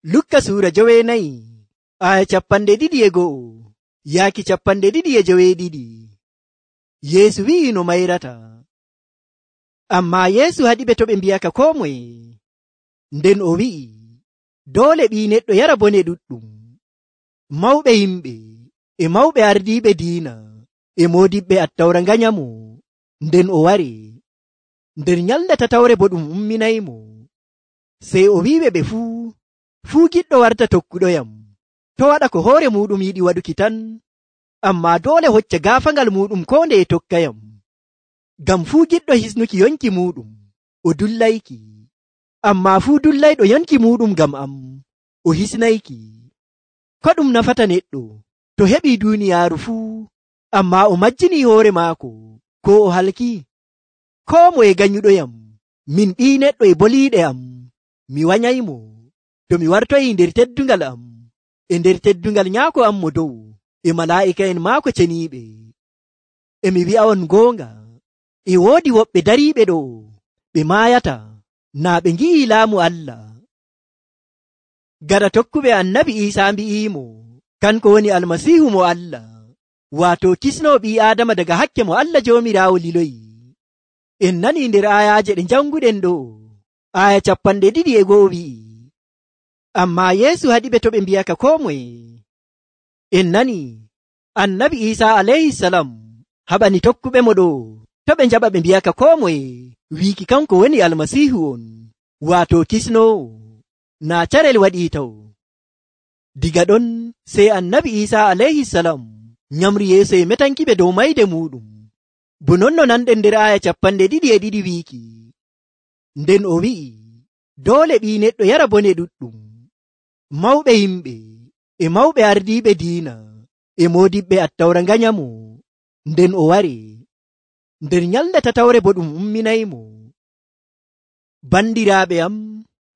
Lukka suura 9 aya 2:1 yaaki 2:2. Yeesu wi'i no mayrata. Ammaa Yeesu haɗiɓe to ɓe mbi'aka koo moye. Nden o wi'i, doole Ɓii Neɗɗo yara bone ɗuɗɗum. Mawɓe yimɓe e mawɓe ardiiɓe diina e moodiɓɓe Attawra nganyamo. Nden o wari. Nder nyalnde tatawre bo ɗum umminaymo. Sey o wi'iɓe ɓe fuu giɗɗo warta tokkuɗoyam, to waɗa ko hoore muɗum yiɗi waɗuki tan, ammaa doole hocca gaafaangal muɗum koo nde e tokkayam. Ngam fuu giɗɗo hisnuki yonki muɗum, o dullayki, ammaa fuu dullayɗo yonki muɗum ngam am, o hisnayki. Ko ɗum nafata neɗɗo to heɓii duuniyaaru fuu, ammaa o majjinii hoore maako, koo o halki? Koo moye ganyuɗoyam, min Ɓii Neɗɗo e boliiɗe am, mi wanyaymo, to mi wartoyii nder teddungal am, e nder teddungal Nyaako am mo dow, e malaa'ika'en maako ceniiɓe. E mi wi'a'on goonga, e woodi woɓɓe dariiɓe ɗo, ɓe maayata, naa ɓe ngi'ii laamu Allah. Gaɗa tokkuɓe Annabi Iisaa mbi'iimo, kanko woni Almasiihu mo Allah, waato kisnoo ɓii Aadama daga hakke mo Allah Joomiraawo liloyi. En nanii nder ayaaje ɗe janguɗen ɗo, aya 2:1 wi'i, ammaa Yeesu haɗiɓe to ɓe mbi'aka koo moye. En nanii Annabi Iisaa alayhisalam haɓani tokkuɓe mo ɗo to ɓe njaɓa ɓe mbi'aka koo moye wiiki kanko woni Almasiihu on, waato kisnoowo, naa carel waɗii taw. Diga ɗon sey Annabi Iisaa alayhisalam nyamri yeeso e metankiɓe dow mayde muɗum. Bo non no nanɗen nder aya 2:2 wiiki, nden o wi'i, doole Ɓii Neɗɗo yara bone ɗuɗɗum. Mawɓe yimɓe e mawɓe ardiiɓe diina e moodiɓɓe Attawra nganyamo. Nden o wari. Nder nyalnde tatawre bo ɗum umminaymo. Bandiraaɓe am,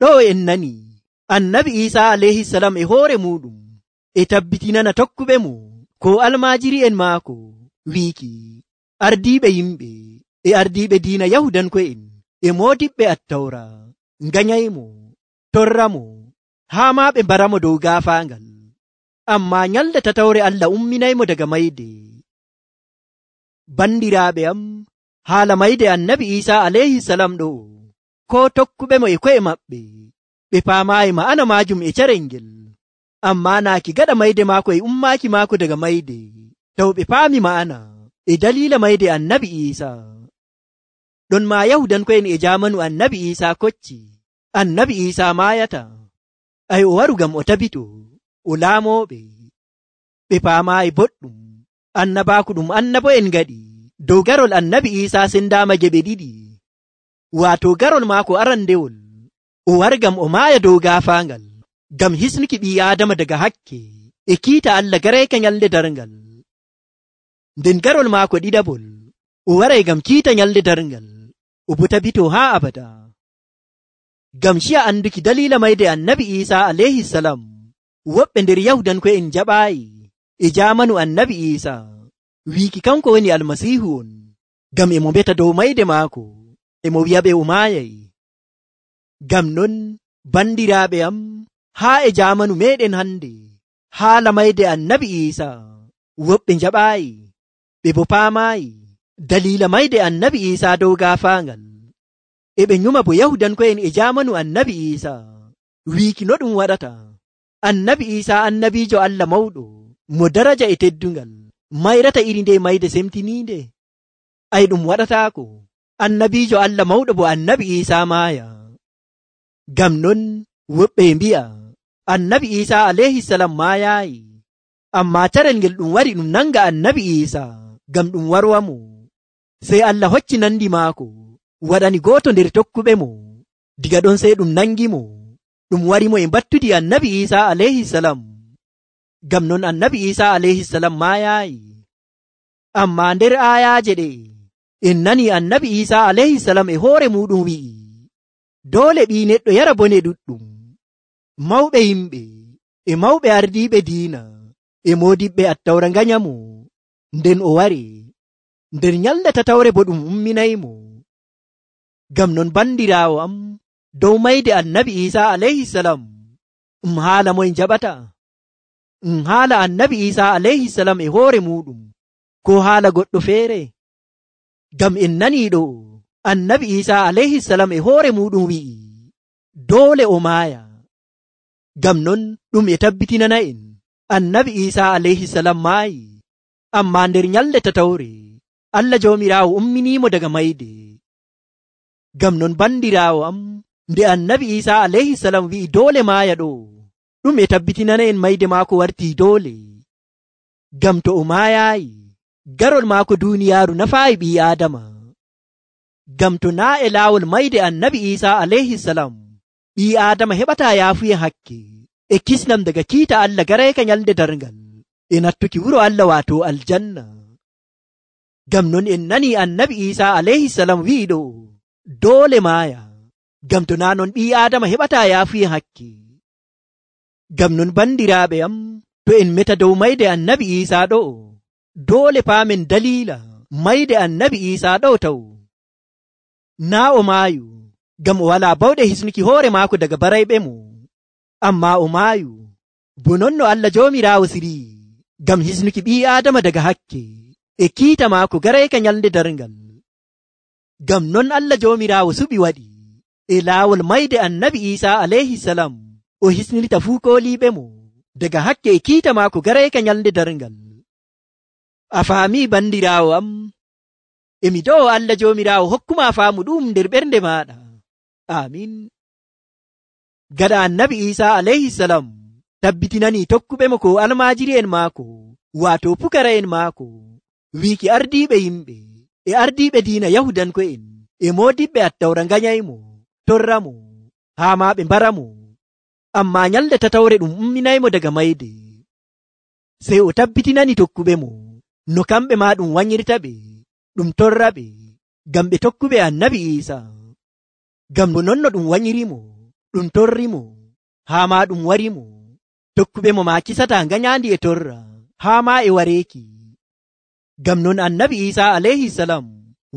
ɗo en nani Annabi Iisaa alayhisalam e hoore muɗum e tabbitinana tokkuɓe mo ko almaajiri'en maako wiiki, ardiiɓe yimɓe e ardiiɓe diina Yahudanko'en e moodiɓɓe Attawra nganyaymo, torramo, haa maa ɓe mbaramo dow gaafaangal. Ammaa nyalnde tatawre Allah umminaymo daga mayde. Bandiraaɓe am, haala mayde Annabi Iisaa alayhisalam ɗo, koo tokkuɓe mo e ko'e maɓɓe, ɓe paamaayi ma'ana maajum e carel ngel. Ammaa naaki gaɗa mayde maako e ummaaki maako daga mayde, taw ɓe paami ma'ana e daliila mayde Annabi Iisaa. Ɗon maa Yahudanko'en e jaamanu Annabi Iisaa kocci, Annabi Iisaa maayata. Ay o waru ngam o tabito, o laamooɓe. Ɓe paamaayi boɗɗum, annabaaku ɗum annabo'en ngaɗi dow garol Annabi Iisaa sendaama geɓe ɗiɗi. Waato garol maako arandewol, o wari ngam o maaya dow gaafaangal, ngam hisnuki ɓii Aadama daga hakke e kiita Allah garayka nyalnde darngal. Nden garol maako ɗiɗaɓol, o waray ngam kiita nyalnde darngal, o bo tabito haa abada. Ngam ciya anduki daliila mayde Annabi Iisaa alayhisalam, woɓɓe nder Yahudanko'en jaɓaayi e jaamanu Annabi Iisaa wiiki kanko woni Almasiihu on, ngam emo mbeta dow mayde maako, emo wi'aɓe o maayay. Ngam non, bandiraaɓe am, haa e jaamanu meɗen hande, haala mayde Annabi Iisaa woɓɓe njaɓaayi, ɓe bo paamaayi daliila mayde Annabi Iisaa dow gaafaangal. E ɓe nyuma bo Yahudanko'en e jaamanu Annabi Iisaa wiiki no ɗum waɗata. Annabi Iisaa annabiijo Allah mawɗo, mo daraja e teddungal, mayrata iri nde mayde semtiniinde? Ay ɗum waɗataako. Annabiijo Allah mawɗo bo Annabi Iisaa maaya. Ngam non woɓɓe mbi'a Annabi Iisaa alayhisalam maayaayi, ammaa carel ngel ɗum wari ɗum nanga Annabi Iisaa ngam ɗum warwamo. Sey Allah hocci nandi maako, waɗani gooto nder tokkuɓe mo. Diga ɗon sey ɗum nangimo, ɗum warimo e mbattudi Annabi Iisaa alayhisalam. Ngam non Annabi Iisaa alayhisalam maayaayi. Ammaa nder aayaaje ɗe en nani Annabi Iisaa alayhisalam e hoore muɗum wi'i, doole Ɓii Neɗɗo yara bone ɗuɗɗum. Mawɓe yimɓe e mawɓe ardiiɓe diina e moodiɓɓe Attawra nganyamo. Nden o wari. Nder nyalnde tatawre bo ɗum umminaymo. Ngam non bandiraawo am, dow mayde Annabi Iisaa alayhisalam haala moy jaɓata? Haala annabi Isa alayhi salam e hoore muɗum, ko haala goɗɗo feere? Ngam en nanii ɗo annabi Isa alayhi salam e hoore muɗum wi'i doole o maaya. Ngam non ɗum e tabbitinana en annabi Isa alayhi salam maayi, amma nder nyalde tatawre Allah Joomiraawo umminimo daga mayde. Ngam non bandiraawo am, nde annabi Isa alayhi salam wi'i doole maaya ɗo, ɗum e tabbitinana en mayde maako wartii doole. Ngam to o maayaayi, garol maako duuniyaaru nafaayi ɓii Aadama. Ngam to naa e laawol mayde annabi Isa alayhi salam, ɓii Aadama heɓataa yaafuye hakke e kisnam daga kiita Allah garayka nyalde darngal e nattuki wuro Allah waato aljanna. Ngam non en nanii annabi Isa alayhi salam wi'i ɗo doole maaya, ngam to naa non ɓii Aadama heɓataa yaafuye hakke. Ngam non bandiraaɓe am, to en meta dow mayde annabi Isa ɗo, doole paamen daliila mayde annabi Isa ɗo taw. Naa o maayu ngam o walaa bawɗe hisnuki hoore maako daga barayɓe mo, amma o maayu bo non no Allah Joomiraawo sirii ngam hisnuki ɓii Aadama daga hakke e kiita maako garayka nyalde darngal. Ngam non Allah Joomiraawo suɓi waɗi e laawol mayde annabi Isa alayhi salam o hisnirta fuu kooliiɓe mo daga hakke e kiita maako garayka nyalde darngal. A faamii bandiraawo am? Emi do'o Allah Joomiraawo hokkuma faamu ɗum nder ɓernde maaɗa. Amin. Gaɗa annabi Isa alayhi salam tabbitinani tokkuɓe mo ko almaajiri'en maako, waato pukara'en maako, wiiki ardiiɓe yimɓe e ardiiɓe diina Yahudanko'en e moodiɓɓe attawra nganyaymo, torra mo, haa maa ɓe mbara mo. Amma nyalde tatawre ɗum umminaymo daga mayde. Sey o tabbitinani tokkuɓe mo no kamɓe maa ɗum wanyirta ɓe, ɗum torra ɓe, ngam ɓe tokkuɓe annabi Isa. Ngam bo non no ɗum wanyirimo, ɗum torrimo, haa maa ɗum warimo, tokkuɓe mo maa kisataa nganyaandi e torra, haa maa e wareeki. Ngam non annabi Isa alayhi salam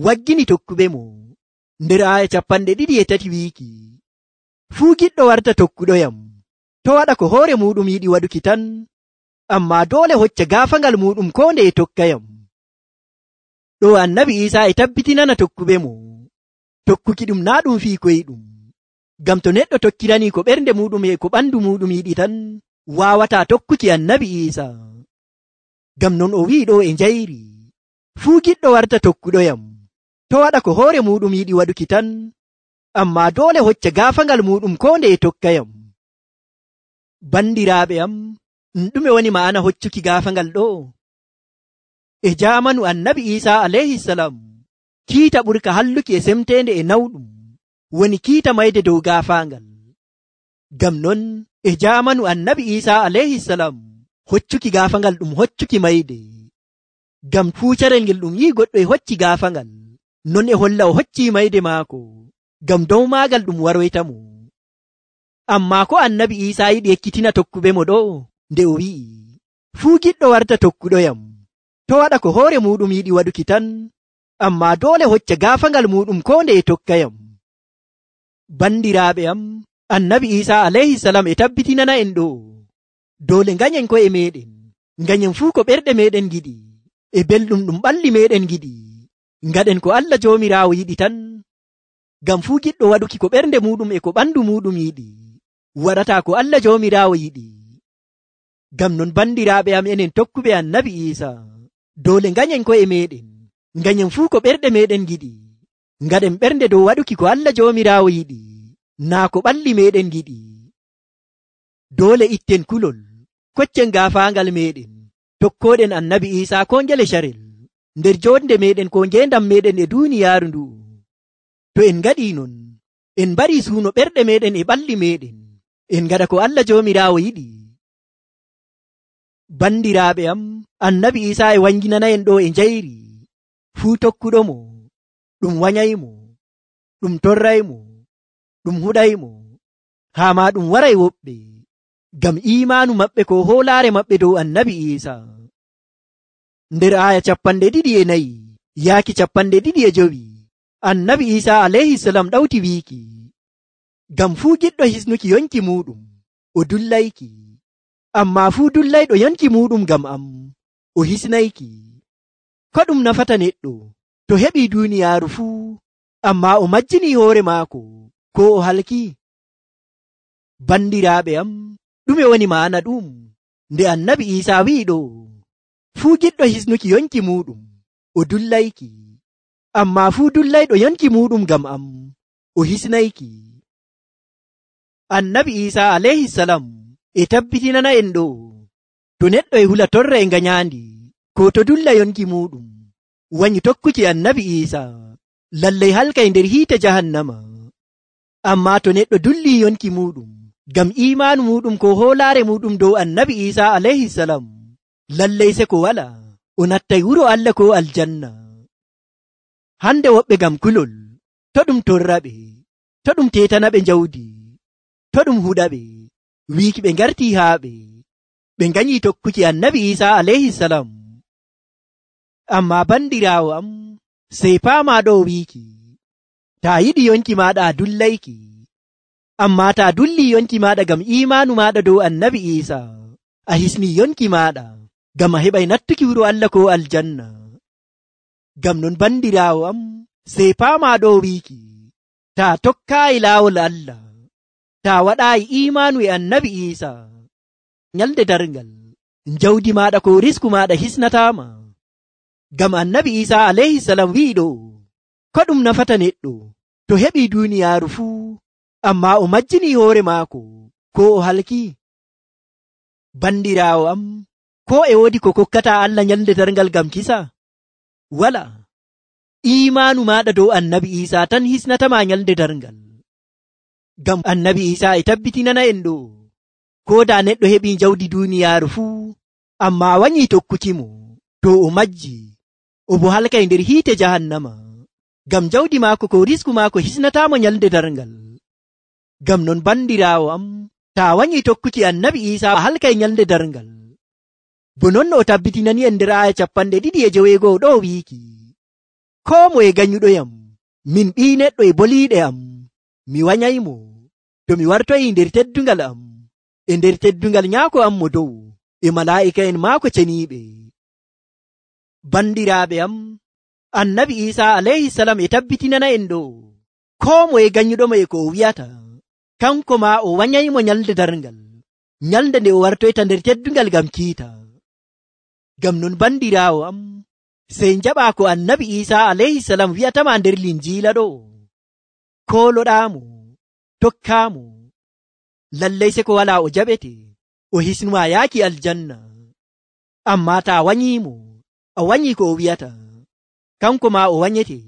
waggini tokkuɓe mo nder aaya 23 wiiki, fuu giɗɗo warta tokkuɗoyam, to waɗa ko hoore muɗum yiɗi waɗuki tan, amma doole hocca gaafangal muɗum ko nde e tokkayam. Ɗo annabi Isa e tabbitinana tokkuɓe mo tokkuki ɗum naa ɗum fii koyɗum. Ngam to neɗɗo tokkirani ko ɓernde muɗum e ko ɓandu muɗum yiɗi tan, waawataa tokkuki annabi Isa. Ngam non o wi'i ɗo e njayri, fuu giɗɗo warta tokkuɗoyam, to waɗa ko hoore muɗum yiɗi waɗuki tan, amma doole hocca gaafangal muɗum ko nde e tokkayam. Bandiraaɓe am, ɗume woni ma'ana hoccuki gaafangal ɗo? E jaamanu annabi Isa alayhi salam, kiita ɓurka halluki e semteende e nawɗum woni kiita mayde dow gaafaangal. Ngam non e jaamanu annabi Isa alayhi salam, hoccuki gaafangal ɗum hoccuki mayde. Ngam fuucarel ngel ɗum yi'i goɗɗo e hocci gaafangal, non e holla o hocci mayde maako, ngam dow maagal ɗum waroyta mo. Amma ko annabi Isa yiɗi ekkitina tokkuɓe mo ɗo, nde o wi'i, fuu giɗɗo warta tokkuɗoyam, to waɗa ko hoore muɗum yiɗi waɗuki tan, amma doole hocca gaafangal muɗum ko nde e tokkayam. Bandiraaɓe am, annabi Isa alayhi salam e tabbitinana en ɗo doole nganyen ko'e meɗen, nganyen fuu ko ɓerɗe meɗen giɗi e belɗum ɗum ɓalli meɗen giɗi, ngaɗen ko Allah Joomiraawo yiɗi tan. Ngam fuu giɗɗo waɗuki ko ɓernde muɗum e ko ɓandu muɗum yiɗi, waɗataa ko Allah Joomiraawo yiɗi. Ngam non bandiraaɓe am, enen tokkuɓe annabi Isa, doole nganyen ko'e meɗen, nganyen fuu ko ɓerɗe meɗen giɗi, ngaɗen ɓernde dow waɗuki ko Allah Joomiraawo yiɗi, naa ko ɓalli meɗen giɗi. Doole itten kulol, koccen gaafaangal meɗen, tokkoɗen annabi Isa ko ngele carel, nder jonde meɗen ko ngendam meɗen e duuniyaaru ndu. To en ngaɗi non, en mbari suuno ɓerɗe meɗen e ɓalli meɗen, en ngaɗa ko Allah Joomiraawo yiɗi. Bandiraaɓe am, annabi Isa e wanginana en ɗo e njayri, fuu tokkuɗo mo, ɗum wanyaymo, ɗum torraymo, ɗum huɗaymo, haa ma ɗum waray woɓɓe, ngam imaanu maɓɓe ko hoolaare maɓɓe dow annabi Isa. Nder aaya 24 yaaki 25, annabi Isa alayhi salam ɗawti wiiki, ngam fuu giɗɗo hisnuki yonki muɗum, o dullayki, ammaa fuu dullayɗo yonki muuɗum ngam am o hisnayki. Ko ɗum nafata neɗɗo to heɓii duuniyaaru fuu, ammaa o majjinii hoore maako ko o halki? Bandiraaɓe am, ɗume woni ma'ana ɗum nde Annabi Iisaa wi'i ɗo? Fuu giɗɗo hisnuki yonki muuɗum o dullayki, ammaa fuu dullayɗo yonki muuɗum ngam am o hisnayki. Annabi Iisaa alayhisalam e tabbitinana en ɗo, to neɗɗo e hula torra e nganyandi ko to dulla yonki muuɗum wanyi tokkuki Annabi Iisaa, lallay halkay nder hiite jahannama. Ammaa to neɗɗo dulli yonki muuɗum ngam iimaanu muuɗum ko hoolaare muuɗum dow Annabi Iisaa alayhisalam, lallay se ko wala o nattay wuro Allah ko aljanna. Hande woɓɓe ngam kulol to ɗum torraɓe, to ɗum tetanaɓe jawdi, to ɗum huɗaɓe wiiki ɓe ngarti haaɓe ɓe nganyi tokkuki Annabi Iisaa alayhisalam. Ammaa bandiraawo am, sey paama ɗo wiiki, taa yiɗi yonki maaɗa a dullayki, ammaa taa dulli yonki maaɗa ngam iimaanu maaɗa dow Annabi Iisaa, a hisni yonki maaɗa ngam a heɓay nattuki wuro Allah ko aljanna. Ngam non bandiraawo am, sey paama ɗo wiiki, taa tokkaayi laawol Allah, taa waɗaayi iimaanu e Annabi Iisaa, nyalde darngal jawdi maaɗa ko risku maaɗa hisnataama. Ngam Annabi Iisaa alayhisalam wi'i ɗo, ko ɗum nafata neɗɗo to heɓii duuniyaaru fuu, ammaa o majjinii hoore maako ko o halki? Bandiraawo am, ko e woodi ko kokkataa Allah nyalde darngal ngam kisa? Wala. Iimaanu maaɗa dow Annabi Iisaa tan hisnatamaa nyalde darngal. Ngam Annabi Iisaa e tabbitinana en ɗo, ko daa neɗɗo heɓii jawdi duuniyaaru fuu, ammaa wanyii tokkukimo, to o majji o bo halkay nder hiite jahannama, ngam jawdi maako ko risku maako hisnataamo nyalde darngal. Ngam non bandiraawo am, taa wanyii tokkuki Annabi Iisaa a halkay nyalde darngal. Bo non no o tabbitinani en nder aaya 2:9 ɗo wiiki, koo moye ganyuɗoyam, min ɓii neɗɗo e boliiɗe am, mi wanyaymo to mi wartoyi nder teddungal am e nder teddungal nyaako am mo dow e malaa'ika'en maako ceniiɓe. Bandiraaɓe am, Annabi Iisaa alayhisalam e tabbitinana en ɗo, koo moye ganyuɗomo e ko o wi'ata, kanko maa o wanyaymo nyalde darngal, nyalde nde o wartoyta nder teddungal ngam kiita. Ngam non bandiraawo am, sey njaɓaa ko Annabi Iisaa alayhisalam wi'atama nder Linjiila ɗo, kooloɗaamo, tokkaamo, lallay se ko walaa o jaɓete o hisnumaa yaaki aljanna. Ammaa taa wanyiimo, a wanyii ko o wi'ata, kanko maa o wanyete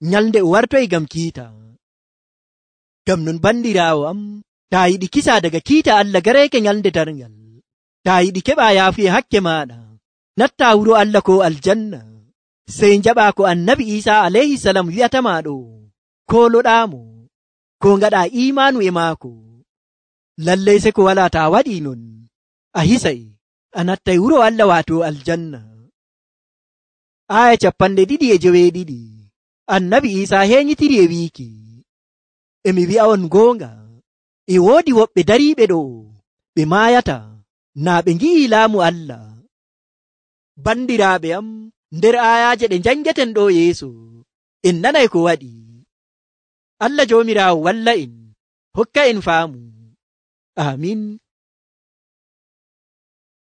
nyalde o wartoy ngam kiita. Ngam non bandiraawo am, taa yiɗi kisa daga kiita Allah gareeke nyalde darngal, taa yiɗi keɓaa yaafu e hakke maaɗa, nattaa wuro Allah ko aljanna, sey njaɓaa ko Annabi Iisaa alayhisalam wi'atamaa ɗo, kooloɗaamo, ko ngaɗaa iimaanu e maako. Lallay se ko walaa taa waɗii non, a hisay a nattay wuro Allah waato aljanna. Aaya 2:9 Annabi Iisaa heenyitiri e wiiki, emi wi'a on goonga, e woodi woɓɓe dariiɓe ɗo ɓe maayata naa ɓe ngi'ii laamu Allah. Bandiraaɓe am, nder aayaaje ɗe njangeten ɗo yeeso en nanay ko waɗi. Allah Joomiraawo walla en, hokka en faamu. Amin.